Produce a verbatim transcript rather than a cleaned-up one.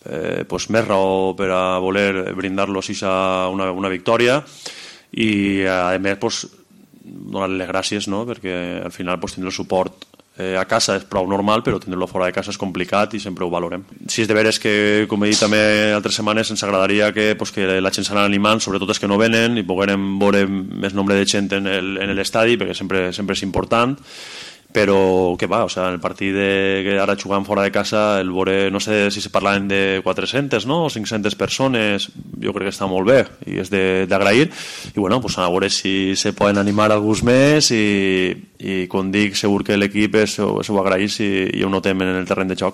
eh, pues, més raó per a voler brindar-los una, una victòria i a més pues, donar-li les gràcies, no? Perquè al final pues, tindre el suport eh, a casa és prou normal, però tindre-lo fora de casa és complicat i sempre ho valorem. Si és de veres que, com he dit també altres setmanes, ens agradaria que, pues, que la gent s'anà animant, sobretot els que no venen, i poguérem veure més nombre de gent en l'estadi, perquè sempre, sempre és important, però que va, o sea, en el partit de, que ara jugant fora de casa, el veure, no sé si se parlaven de quatre-centes, no? O cinc-centes persones, jo crec que està molt bé i és d'agrair, i bueno, pues a veure si se poden animar alguns més i, i com dic, segur que l'equip ho agraeix i, i ho notem en el terreny de joc.